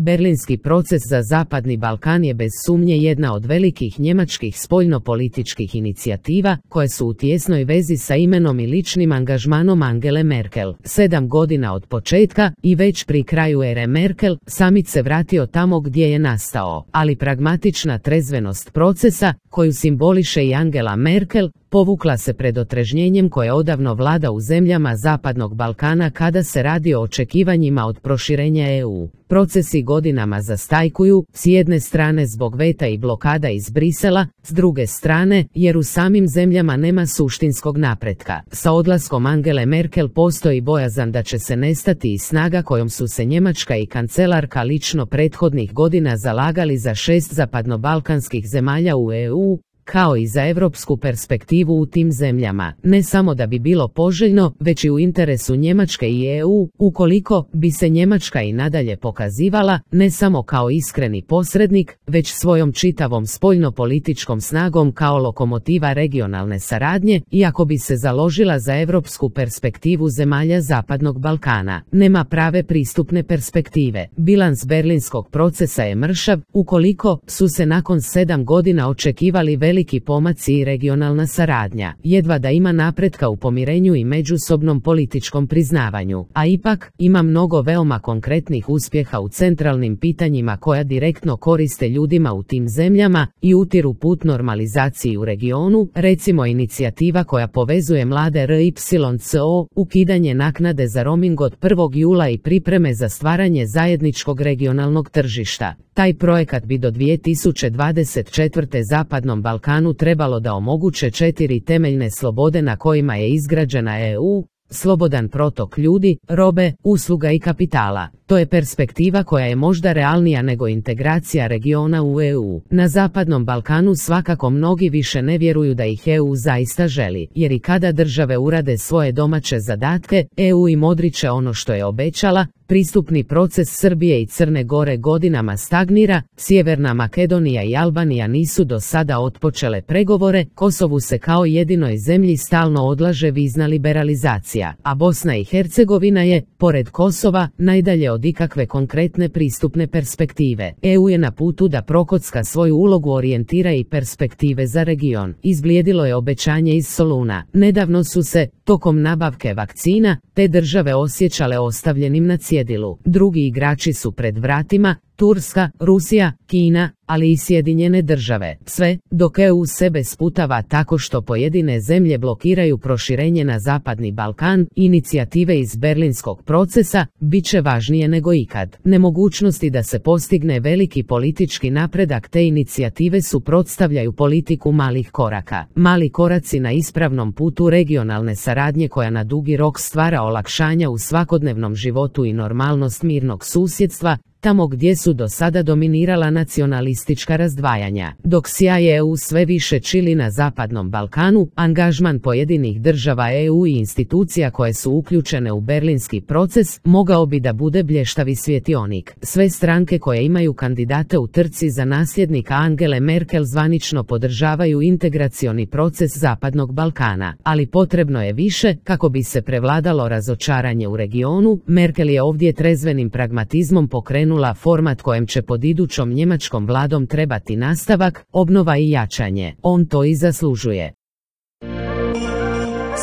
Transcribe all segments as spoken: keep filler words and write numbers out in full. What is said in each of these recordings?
Berlinski proces za Zapadni Balkan je bez sumnje jedna od velikih njemačkih spoljnopolitičkih inicijativa koje su u tijesnoj vezi sa imenom i ličnim angažmanom Angele Merkel. Sedam godina od početka i već pri kraju ere Merkel, samit se vratio tamo gdje je nastao, ali pragmatična trezvenost procesa, koju simboliše i Angela Merkel, povukla se pred otrežnjenjem koje odavno vlada u zemljama Zapadnog Balkana kada se radi o očekivanjima od proširenja E U. Procesi godinama zastajkuju, s jedne strane zbog veta i blokada iz Brisela, s druge strane jer u samim zemljama nema suštinskog napretka. Sa odlaskom Angele Merkel postoji bojazan da će se nestati i snaga kojom su se Njemačka i kancelarka lično prethodnih godina zalagali za šest zapadnobalkanskih zemalja u E U, kao i za europsku perspektivu u tim zemljama, ne samo da bi bilo poželjno, već i u interesu Njemačke i E U, ukoliko bi se Njemačka i nadalje pokazivala, ne samo kao iskreni posrednik, već svojom čitavom spoljnopolitičkom snagom kao lokomotiva regionalne saradnje, iako bi se založila za europsku perspektivu zemalja Zapadnog Balkana. Nema prave pristupne perspektive. Bilans berlinskog procesa je mršav, ukoliko su se nakon sedam godina očekivali veliki pomaci i regionalna saradnja, jedva da ima napretka u pomirenju i međusobnom političkom priznavanju, a ipak ima mnogo veoma konkretnih uspjeha u centralnim pitanjima koja direktno koriste ljudima u tim zemljama i utiru put normalizaciji u regionu, recimo inicijativa koja povezuje mlade R Y C O, ukidanje naknade za roaming od prvog jula i pripreme za stvaranje zajedničkog regionalnog tržišta. Taj projekat bi do dvije tisuće dvadeset četvrte Zapadnom Balkanu trebalo da omoguće četiri temeljne slobode na kojima je izgrađena E U, slobodan protok ljudi, robe, usluga i kapitala. To je perspektiva koja je možda realnija nego integracija regiona u E U. Na Zapadnom Balkanu svakako mnogi više ne vjeruju da ih E U zaista želi, jer i kada države urade svoje domaće zadatke, E U im odriče ono što je obećala. Pristupni proces Srbije i Crne Gore godinama stagnira, Sjeverna Makedonija i Albanija nisu do sada otpočele pregovore, Kosovu se kao jedinoj zemlji stalno odlaže vizna liberalizacija, a Bosna i Hercegovina je, pored Kosova, najdalje od ikakve konkretne pristupne perspektive. E U je na putu da prokocka svoju ulogu orijentira i perspektive za region. Izblijedilo je obećanje iz Soluna. Nedavno su se, tokom nabavke vakcina, te države osjećale ostavljenim na cjedilu. Drugi igrači su pred vratima, Turska, Rusija, Kina, ali i Sjedinjene države. Sve, dok E U sebe sputava tako što pojedine zemlje blokiraju proširenje na Zapadni Balkan, inicijative iz berlinskog procesa bit će važnije nego ikad. Nemogućnosti da se postigne veliki politički napredak te inicijative suprotstavljaju politiku malih koraka. Mali koraci na ispravnom putu regionalne saradnje koja na dugi rok stvara olakšanja u svakodnevnom životu i normalnost mirnog susjedstva, tamo gdje su do sada dominirala nacionalistička razdvajanja. Dok sjaj E U sve više čili na Zapadnom Balkanu, angažman pojedinih država E U i institucija koje su uključene u berlinski proces mogao bi da bude blještavi svjetionik. Sve stranke koje imaju kandidate u trci za nasljednika Angele Merkel zvanično podržavaju integracioni proces Zapadnog Balkana, ali potrebno je više kako bi se prevladalo razočaranje u regionu. Merkel je ovdje trezvenim pragmatizmom pokrenula format kojem će pod idućom njemačkom vladom trebati nastavak, obnova i jačanje. On to i zaslužuje.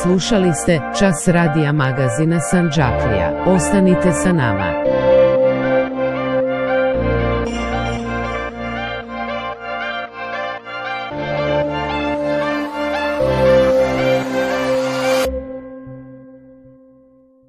Slušali ste Čas radija magazina Sandžaklija. Ostanite sa nama.